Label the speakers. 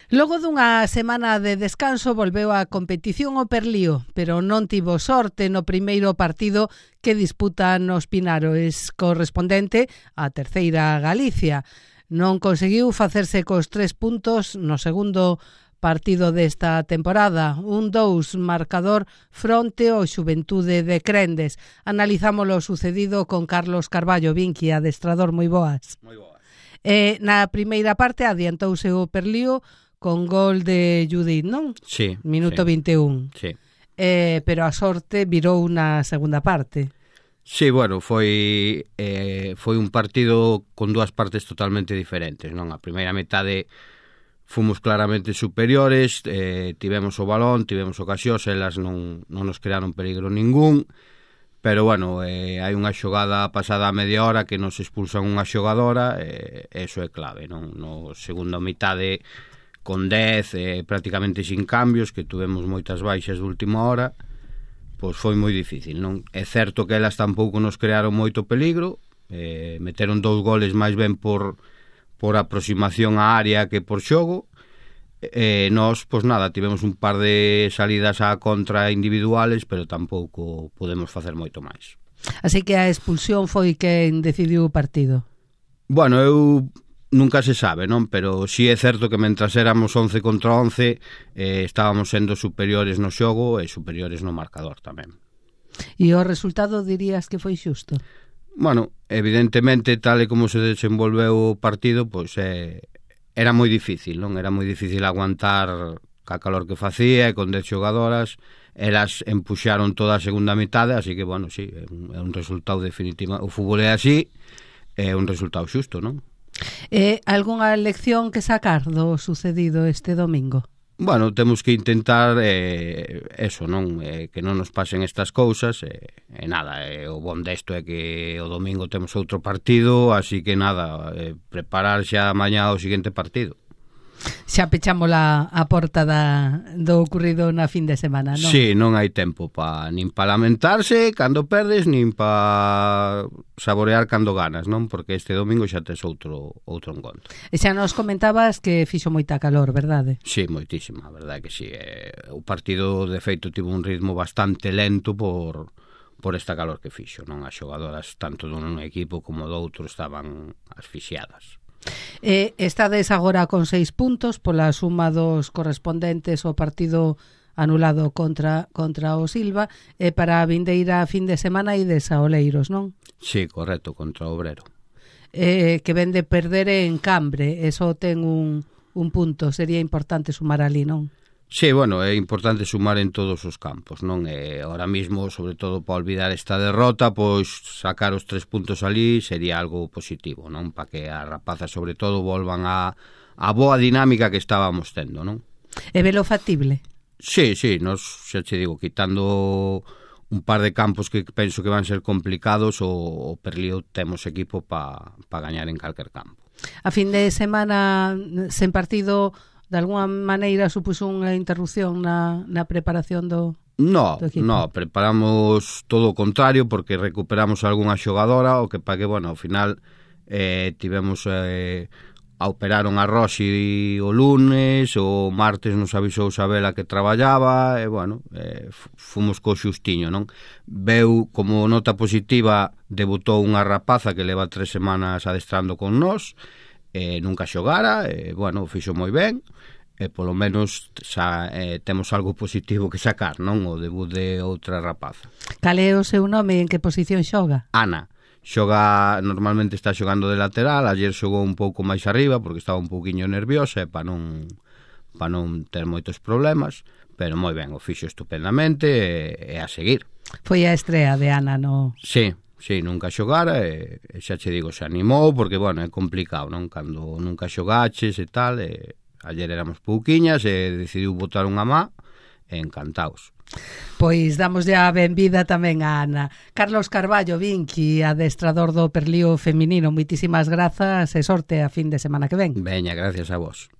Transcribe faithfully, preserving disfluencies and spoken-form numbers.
Speaker 1: Logo dunha semana de descanso volveu a competición o Perlío, pero non tivo sorte no primeiro partido que disputa nos Pinares, correspondente á terceira Galicia. Non conseguiu facerse cos tres puntos no segundo partido desta temporada, un dous marcador fronte ao Xuventude de Crendes. Analizamos o sucedido con Carlos Carballo, Vinqui, adestrador, moi boas.
Speaker 2: Moi boas.
Speaker 1: Eh, na primeira parte adiantouse o Perlío con gol de Judith, non?
Speaker 2: Sí.
Speaker 1: Minuto
Speaker 2: sí.
Speaker 1: vinte e un.
Speaker 2: Sí.
Speaker 1: Eh, pero a sorte virou na segunda parte.
Speaker 2: Sí, bueno, foi eh, foi un partido con dúas partes totalmente diferentes, non? A primeira metade fomos claramente superiores, eh, tivemos o balón, tivemos ocasións, elas non, non nos crearon peligro ningún, pero, bueno, eh, hai unha xogada pasada a media hora que nos expulsan unha xogadora, e eh, eso é clave, non? No segunda metade con dez, eh, prácticamente sin cambios, que tuvemos moitas baixas de última hora, pois foi moi difícil, non? É certo que elas tampouco nos crearon moito peligro, eh, meteron dous goles máis ben por, por aproximación á área que por xogo, e eh, nós, pois nada, tivemos un par de salidas á contra individuales, pero tampouco podemos facer moito máis.
Speaker 1: Así que a expulsión foi quen decidiu o partido.
Speaker 2: Bueno, eu nunca se sabe, non? Pero si sí é certo que mentras éramos once contra once eh, estábamos sendo superiores no xogo e superiores no marcador tamén.
Speaker 1: E o resultado dirías que foi xusto?
Speaker 2: Bueno, evidentemente, tal e como se desenvolveu o partido, pois eh, era moi difícil, non? Era moi difícil aguantar ca calor que facía e con dez xogadoras. Elas empuxaron toda a segunda mitade, así que, bueno, sí, é un, é un resultado definitivo. O fútbol é así, é un resultado xusto, non?
Speaker 1: Eh, algunha lección que sacar do sucedido este domingo?
Speaker 2: Bueno, temos que intentar eh, eso, non? Eh, que non nos pasen estas cousas e eh, nada, eh, o bon desto é que o domingo temos outro partido, así que nada, eh, preparar xa mañá o seguinte partido.
Speaker 1: Xa pechamos a, a porta da, do ocurrido na fin de semana, non?
Speaker 2: Sí, non hai tempo pa, nin pa lamentarse cando perdes, nin pa saborear cando ganas, non? Porque este domingo xa tes outro outro encontro.
Speaker 1: E xa nos comentabas que fixo moita calor, verdade?
Speaker 2: Sí, moitísima, a verdade que sí. Eh, o partido, de feito, tivo un ritmo bastante lento por, por esta calor que fixo, non? As xogadoras, tanto dun equipo como do outro, estaban asfixiadas.
Speaker 1: Eh, estades agora con seis puntos pola suma dos correspondentes ao partido anulado contra contra o Silva, e para a vindeira fin de semana ides a Oleiros, non?
Speaker 2: Sí, correcto, contra o Obrero.
Speaker 1: Eh, que ven de perder en Cambre, eso ten un, un punto, sería importante sumar ali, non?
Speaker 2: Sí, bueno, é importante sumar en todos os campos, non? E ahora mismo, sobre todo para olvidar esta derrota, pois sacar os tres puntos ali sería algo positivo, non? Para que as rapazas, sobre todo, volvan a, a boa dinámica que estábamos tendo, non?
Speaker 1: E velo factible?
Speaker 2: Sí, sí, nos, xa che digo, quitando un par de campos que penso que van ser complicados, o, o Perlío temos equipo para pa gañar en calquer campo.
Speaker 1: A fin de semana sen partido, de alguna maneira supuso unha interrupción na, na preparación do,
Speaker 2: no,
Speaker 1: do equipo?
Speaker 2: No, preparamos todo o contrario, porque recuperamos algunha xogadora, o que pa que, bueno, ao final eh, tivemos eh, a operaron a Rosi o lunes, o martes nos avisou Sabela que traballaba, e, bueno, eh, fomos co xustiño, non? Veu como nota positiva, debutou unha rapaza que leva tres semanas adestrando con nós, eh, nunca xogara, e, bueno, fixo moi ben, e polo menos xa, eh, temos algo positivo que sacar, non? O debut de outra rapaza.
Speaker 1: Cal é o seu nome e en que posición xoga?
Speaker 2: Ana. Xoga, normalmente está xogando de lateral, ayer xogou un pouco máis arriba porque estaba un pouquiño nerviosa e para non, para non ter moitos problemas, pero moi ben, o fixo estupendamente e, e a seguir.
Speaker 1: Foi a estrea de Ana, no?
Speaker 2: Sí. Sí, nunca xogara e, e xa che digo, se animou porque, bueno, é complicado, non? Cando nunca xogaches e tal, e ayer éramos pouquiñas e decidiu botar unha má e encantaos.
Speaker 1: Pois damos ya a benvida tamén a Ana. Carlos Carballo, Vinqui, adestrador do Perlío feminino, moitísimas grazas e sorte a fin de semana que ven.
Speaker 2: Veña, gracias a vos.